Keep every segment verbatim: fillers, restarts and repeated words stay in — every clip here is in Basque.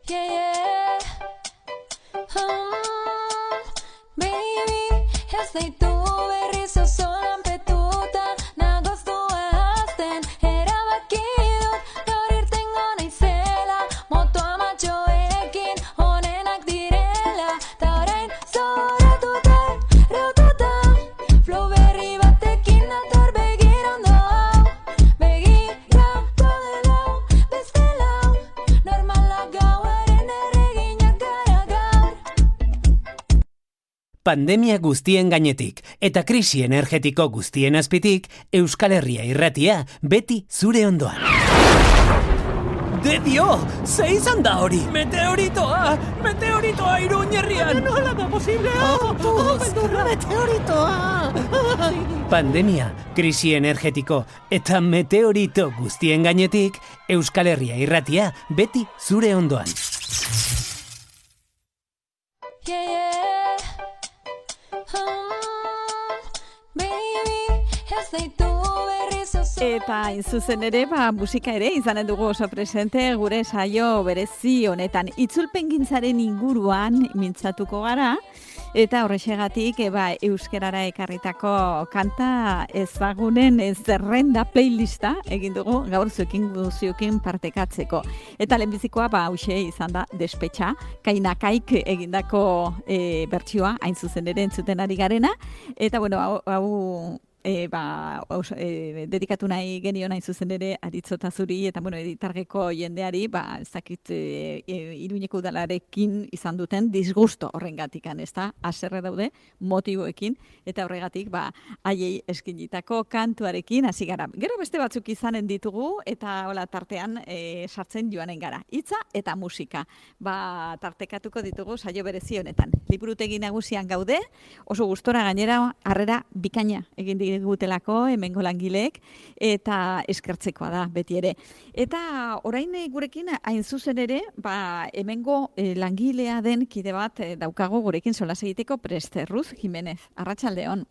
Yeah, yeah. Um, baby, ez daitu berriz osoan petuta, nagoztua azten, erabaki dut, gaur irtengo naizela, motoa matxoekin, onenak direla, ta orain zoratuta, raututa, flow berri batekin dator begirondo hau, begira kodela, beste lau, normalak gauaren erreginak gara gaur. Pandemia guztien gainetik eta krisi energetiko guztien azpitik, Euskal Herria irratia beti zure ondoan. De dio! Ze izan da hori? Meteoritoa! Meteoritoa Iruña herrian! Nola da posible? Meteoritoa! Pandemia, krisi energetiko eta meteorito guztien gainetik, Euskal Herria irratia beti zure ondoan. Yeah, yeah. Um, baby, ez daitu berriz osoan. Eta hain zuzen ere, ba, musika ere izanen dugu oso presente gure saio berezi honetan. Itzulpengintzaren inguruan mintzatuko gara, eta horrexegatik e, ba, euskerara ekarritako kanta ezagunen zerrenda playlista egin dugu gaur zuekin guziokin partekatzeko. Eta lehenbizikoa ba hauxe izan da Despetxa, Kainakaik egindako e, bertsioa hain zuzen ere entzuten ari garena. Eta bueno, hau, hau E, ba, os, e, dedikatu nahi genion hain zuzen ere Aritzota zuri eta bueno, editargeko jendeari ba, ez dakit e, e, Iruñeko udalarekin izan duten disgusto horrengatikan, ez da? Haserre daude motiboekin eta horregatik ba, haiei eskinitako kantuarekin hasi gara. Gero beste batzuk izanen ditugu eta hola tartean e, sartzen joanen gara. Hitza eta musika. Ba, tartekatuko ditugu saio berezi honetan. Liburutegi nagusian gaude, oso gustora gainera harrera bikaina egin digutelako hemengo langileek eta eskertzekoa da beti ere. Eta orain gurekin hain zuzen ere, ba hemengo eh, langilea den kide bat eh, daukago gurekin solas egiteko prest, Ruz Jimenez. Arratsaldeon.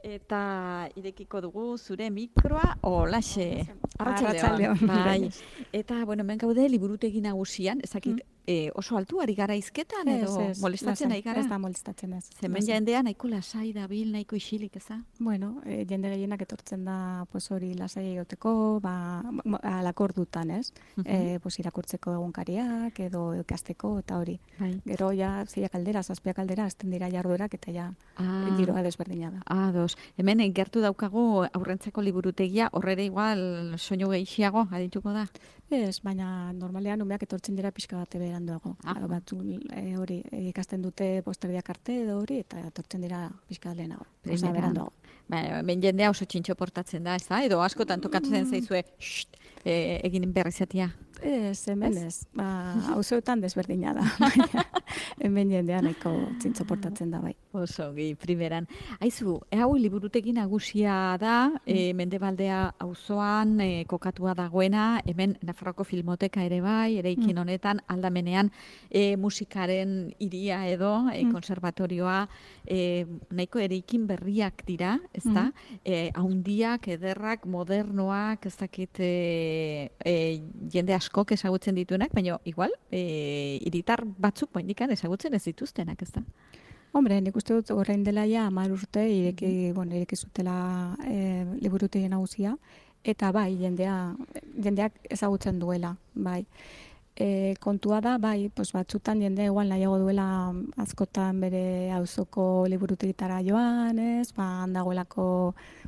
Eta irekiko dugu zure mikroa olaxe. Arratsaldeon. Bai. Eta bueno, hemen gaude liburutegi nagusian, ezakit mm. E, oso altu ari gara izketan edo ez, ez, molestatzen ari gara? Ez da molestatzen ez. Zemen jendea nahiko lasai dabil, nahiko isilik, eza? Bueno, e, jende gehienak etortzen da pues hori lasai egoteko, ba, alakor dutan, ez? Uh-huh. E, pues irakurtzeko egunkariak edo ikasteko eta hori. Bai. Gero ja zeiak aldera, zazpiak aldera, azten dira jarduerak eta ja ah. giroa desberdina da. Ah, dos. Hemen gertu daukagu aurrentzako liburutegia, horrere igual soinu gehiago adituko da? Ez, baina normalean umeak etortzen dira pixka bat beranduago. Ah. Batzu e, hori ikasten dute posterdiak arte edo hori eta etortzen dira pixka bat lehenago. Osa beranduago. Ba, ben jendea oso txintxo portatzen da, ez da? Edo askotan tokatzen zaizue xxt, e, egin berrizatia. Ez, hemen ez. Ba, auzoetan desberdina da. Hemen jendea nahiko txintxo portatzen da bai. Oso, gi, primeran. Aizu, hau liburutegi nagusia da, e, Mendebaldea auzoan e, kokatua dagoena, hemen Nafarroko Filmoteka ere bai, eraikin honetan, aldamenean e, musikaren hiria edo, e, konservatorioa, e, nahiko eraikin berriak dira, ez da? E, haundiak, ederrak, modernoak, ez dakit e, e, jende askok ezagutzen dituenak, baina igual, e, hiritar batzuk bainikan ezagutzen ez dituztenak, ez da? Hombre, nik uste dut orain dela ja hamar urte ireki, bueno, ireki zutela e, liburutegi nagusia eta bai, jendea, jendeak ezagutzen duela, bai. E, kontua da, bai, pues batzutan jende igual nahiago duela askotan bere auzoko liburutegitara joan, ez, ba, handagoelako,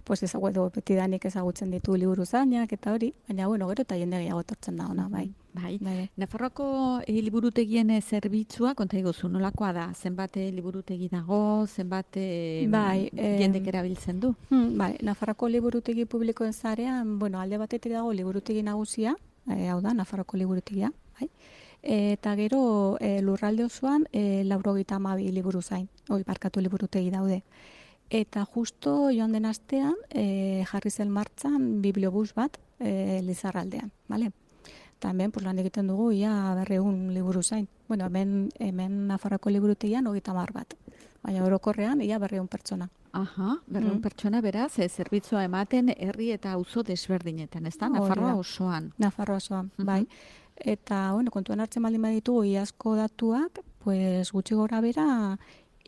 pues ezaguedo betidanik ezagutzen ditu liburu zainak eta hori, baina, bueno, gero eta jende gehiago etortzen da ona, bai. Bai. Bai. Nafarroako e, liburutegien zerbitzua, konta iguzu, nolakoa da? Zenbat liburutegi dago, zenbat e, bai, jendek erabiltzen du? Hmm, bai, Nafarroako liburutegi publikoen zarean, bueno, alde batetik dago liburutegi nagusia, e, hau da, Nafarroako liburutegia, bai. Eta gero e, lurralde osoan e, laurogeita hamabi liburu zain, hori barkatu liburutegi daude. Eta justo joan den astean e, jarri zen martxan bibliobus bat e, Lizarraldean, bale? Eta hemen pues, lan egiten dugu ia berreun liburu zain. Bueno, hemen, hemen Nafarroako liburutegian hogeita hamar bat. Baina orokorrean ia berreun pertsona. Aha, berreun mm. pertsona beraz, e, zerbitzua ematen herri eta auzo desberdinetan, ez da? Nafarroa osoan. Nafarroa osoan, uh-huh. bai. Eta, bueno, kontuan hartzen baldin baditugu iazko datuak, pues gutxi gora bera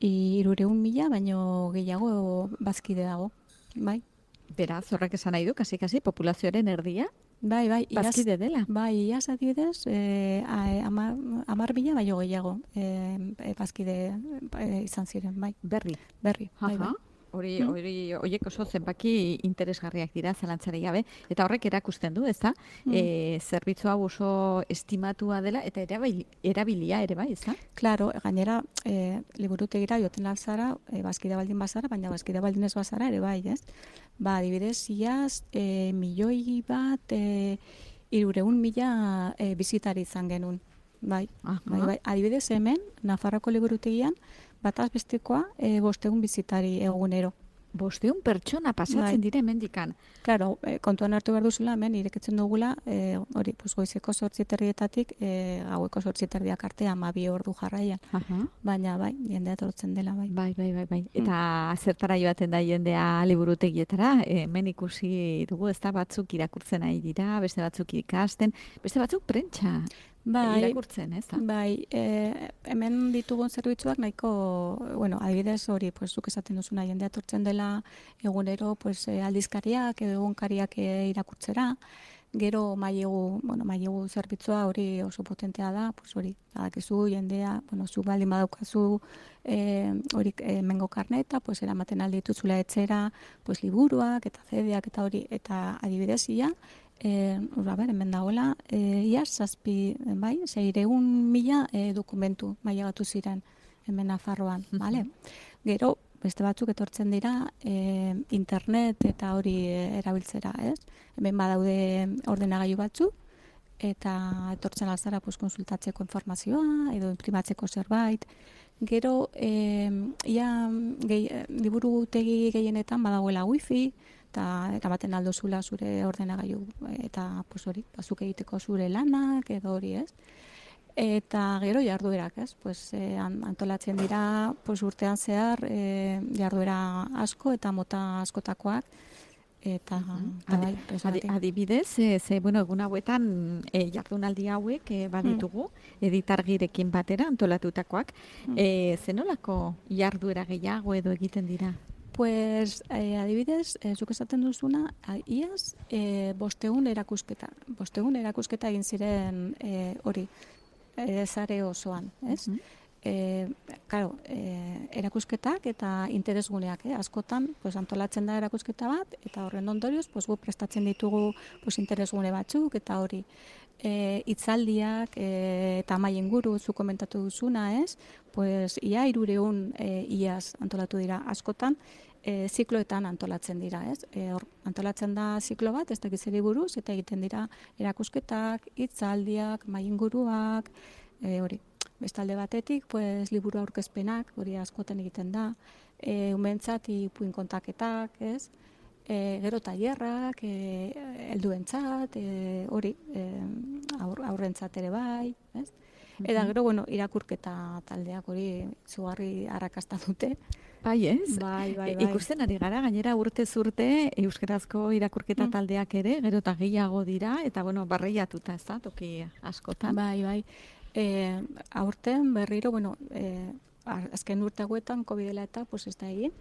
hirureun mila, baino gehiago bazkide dago, bai. Beraz, horrek esan nahi du, kasi-kasi, populazioaren erdia, Bai, bai, iaz, bazkide dela. bai, iaz adibidez, eh, a- ama- hamar mila baino gehiago eh, eh, bazkide eh, izan ziren, bai, Berri. berri, bai, bai. Aha. Hori, Mm. hori, horiek oso zenbaki interesgarriak dira, zalantzari gabe, eta horrek erakusten du, ezta? Mm. E, zerbitzu hau oso estimatua dela, eta erabil, erabilia ere bai, ezta? Claro, gainera, e, liburutegira joten alzara, e, bazkide baldin bazara, baina bazkide baldin ez bazara ere bai, ez? Ba, adibidez, iaz, e, milioi bat, e, irureun mila e, bizitari izan genuen, bai. Aha. Bai, bai. Adibidez, hemen, Nafarroako liburutegian, bataz bestekoa, e, bostegun bizitari egunero. Bosteun pertsona pasatzen Bai. dira hemendikan. Claro, e, kontuan hartu behar duzula, hemen irekitzen dugula, e, hori, pues, goizeko zortzi terdietatik, e, gaueko zortzi terdiak arte, amabi ordu jarraian. Aha. Baina, bai, jendea etortzen dela, bai. Bai, bai, bai, bai. Eta zertara joaten da jendea liburutegietara, hemen ikusi dugu, ez da batzuk irakurtzen ari dira, beste batzuk ikasten, beste batzuk prentsa Bai, irakurtzen, ez da? bai, e, hemen ditugun zerbitzuak nahiko, bueno, adibidez hori, pues, zuk esaten duzuna, jendea etortzen dela egunero, pues, e, aldizkariak edo egunkariak e, irakurtzera, gero mailegu, bueno, mailegu zerbitzua hori oso potentea da, pues hori, badakizu jendea, bueno, zu baldin badaukazu eh hori e, mengo karneta, pues eramaten aldi dituzula etxera, pues liburuak eta zedeak eta hori, eta adibidez ia, eh ura ber, hemen dagoela, eh ia zazpi, bai, seiehun mila e, dokumentu mailagatu ziren hemen Nafarroan, vale? Gero beste batzuk etortzen dira e, internet eta hori e, erabiltzera, ez? Hemen badaude ordenagailu batzuk eta etortzen alzara pues, konsultatzeko informazioa edo imprimatzeko zerbait. Gero, e, ia gehi, liburutegi gehienetan badagoela wifi eta eramaten aldozula zure ordenagailu eta pues, hori, bazuk egiteko zure lanak edo hori, ez? Eta gero jarduerak, ez? Pues, eh, antolatzen dira pues, urtean zehar eh, jarduera asko eta mota askotakoak. Eta, eta bai, Adi, presoatik. adibidez, e, ze, bueno, egun hauetan e, jardunaldi hauek e, baditugu, editargirekin batera antolatutakoak. E, zenolako jarduera gehiago edo egiten dira? Pues, eh, adibidez, eh, zuk esaten duzuna, a- iaz, eh, bostegun erakusketa. Bostegun erakusketa egin ziren eh, hori, eh, zare osoan, ez? Mhm. E, claro, e, erakusketak eta interesguneak, eh? Askotan pues, antolatzen da erakusketa bat, eta horren ondorioz pues, gu prestatzen ditugu pues, interesgune batzuk, eta hori e, hitzaldiak e, eta mai inguru zu komentatu duzuna, ez? Pues, ia irureun e, iaz antolatu dira askotan, e, zikloetan antolatzen dira, ez? E, hor, antolatzen da ziklo bat, ez dakit zeri buruz, eta egiten dira erakusketak, hitzaldiak, mai inguruak, e, hori. Bestalde batetik, pues, liburu aurkezpenak, hori askotan egiten da, e, umentzat ipuin kontaketak, ez? E, gero tailerrak, e, helduentzat, e, hori, e, aur, aurrentzat ere bai, ez? Eta gero, bueno, irakurketa taldeak hori zugarri arrakasta dute. Bai, ez? Bai, bai, E, bai. ikusten ari gara, gainera urtez urte euskarazko irakurketa Mm. taldeak ere, gero eta gehiago dira, eta bueno, barreiatuta, ez da, toki askotan. Bai, bai. E, aurten berriro, bueno, e, azken urte hauetan, COVID-ela eta, pues ez da egin,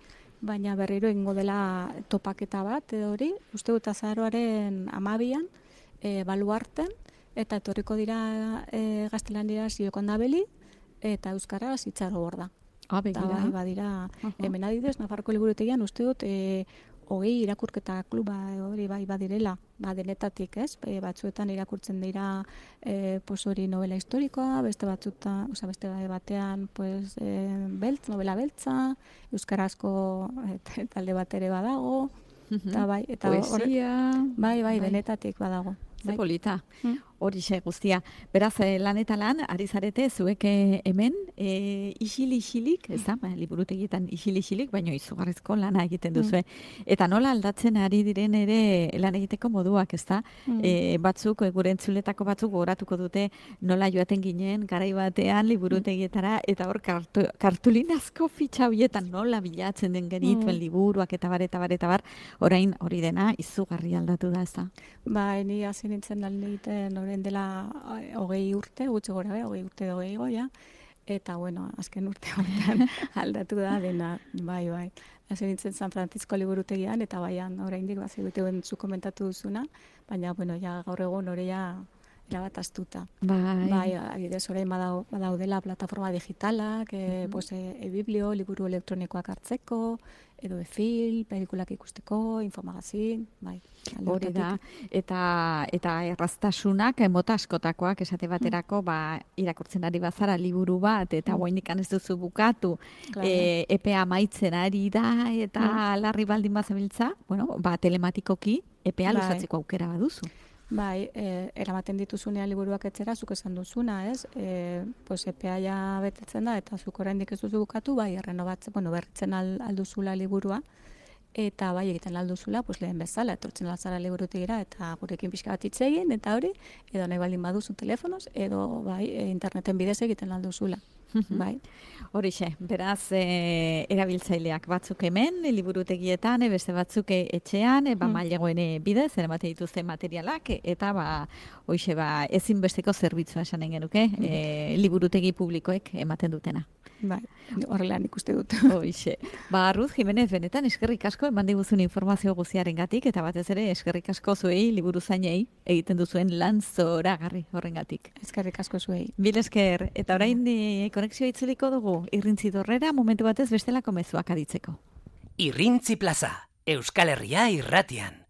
baina berriro egingo dela topaketa bat, edo hori, uste dut azaroaren amabian, e, baluarten, eta etorriko dira e, gaztelaniera ziokon dabeli, eta euskaraz itxaro borda. Ah, Eta begira. bai, badira, Aha. hemen adibidez, Nafarroko liburutegian uste dut, e, hogei irakurketa kluba hori bai badirela, ba denetatik, ez? E, batzuetan irakurtzen dira e, pues hori novela historikoa, beste batzuetan, osea beste batean pues e, beltz, novela beltza, euskarazko e, talde bat ere badago, eta bai, eta horre- Poesia, bai, bai, bai. denetatik badago. ze Bai. polita. Mm. Horixe guztia. Beraz, eh, lan eta lan, ari zarete, zuek eh, hemen, e, isil-isilik, ez da, ba, liburutegietan isil-isilik, baina izugarrizko lana egiten duzue. Eta nola aldatzen ari diren ere lan egiteko moduak, ez da? Mm. E, batzuk, e, gure entzuletako batzuk gogoratuko dute nola joaten ginen, garai batean liburutegietara, eta hor kartu, kartulinazko fitxa horietan nola bilatzen den genituen Mm. liburuak, eta bar, eta bar, eta bar, orain hori dena izugarri aldatu da, ez da? Bai, ni hasi nintzen lan egiten hori orain dela eh, hogei urte, gutxi gora be, hogei urte hogei goia, eta bueno, azken urte honetan aldatu da dena, bai, bai. Hasi nintzen San Francisco liburutegian, eta baian, oraindik bat zegutuen zu komentatu duzuna, baina, bueno, ja gaur egun hori ja erabat astuta. Bai. Bai, adibidez, orain badau, badaudela plataforma digitalak, e, pues, e-biblio, liburu elektronikoak hartzeko, edo e-film, pelikulak ikusteko, infomagazin, bai. Hori da, eta eta erraztasunak mota askotakoak esate baterako, ba, irakurtzen ari bazara liburu bat, eta Mm. oraindik ez duzu bukatu, Claro. e, epea amaitzen ari da, eta larri baldin bazabiltza, bueno, ba, telematikoki epea Bai. luzatzeko aukera baduzu. Bai, e, eramaten dituzunean liburuak etxera, zuk esan duzuna, ez? E, pues epea ja betetzen da, eta zuk oraindik ez duzu bukatu, bai, errenobatzen, bueno, berritzen al, alduzula liburua, eta bai, egiten alduzula, pues lehen bezala, etortzen altzara liburutegira, eta gurekin pixka bat hitz egin, eta hori, edo nahi baldin baduzu telefonoz, edo bai, e, interneten bidez egiten alduzula. Bai. Horixe, beraz, e, erabiltzaileak batzuk hemen, liburutegietan, e, beste batzuk e, etxean, e, ba, Mm. mailegoen e, bidez, eramaten dituzte materialak, e, eta ba, hoixe, ba, ezinbesteko zerbitzua esanen genuke, e, liburutegi publikoek ematen dutena. Bai, horrela nik uste dut. Hoixe. Ba, Ruth Jimenez, benetan eskerrik asko eman diguzun informazio guztiarengatik, eta batez ere eskerrik asko zuei, liburuzainei, egiten duzuen lan zoragarri horrengatik. Eskerrik asko zuei. Bil esker, eta orain e, konexioa itzuliko dugu, irrintzi dorrera, momentu batez bestelako mezuak aditzeko. Irrintzi plaza, Euskal Herria irratian.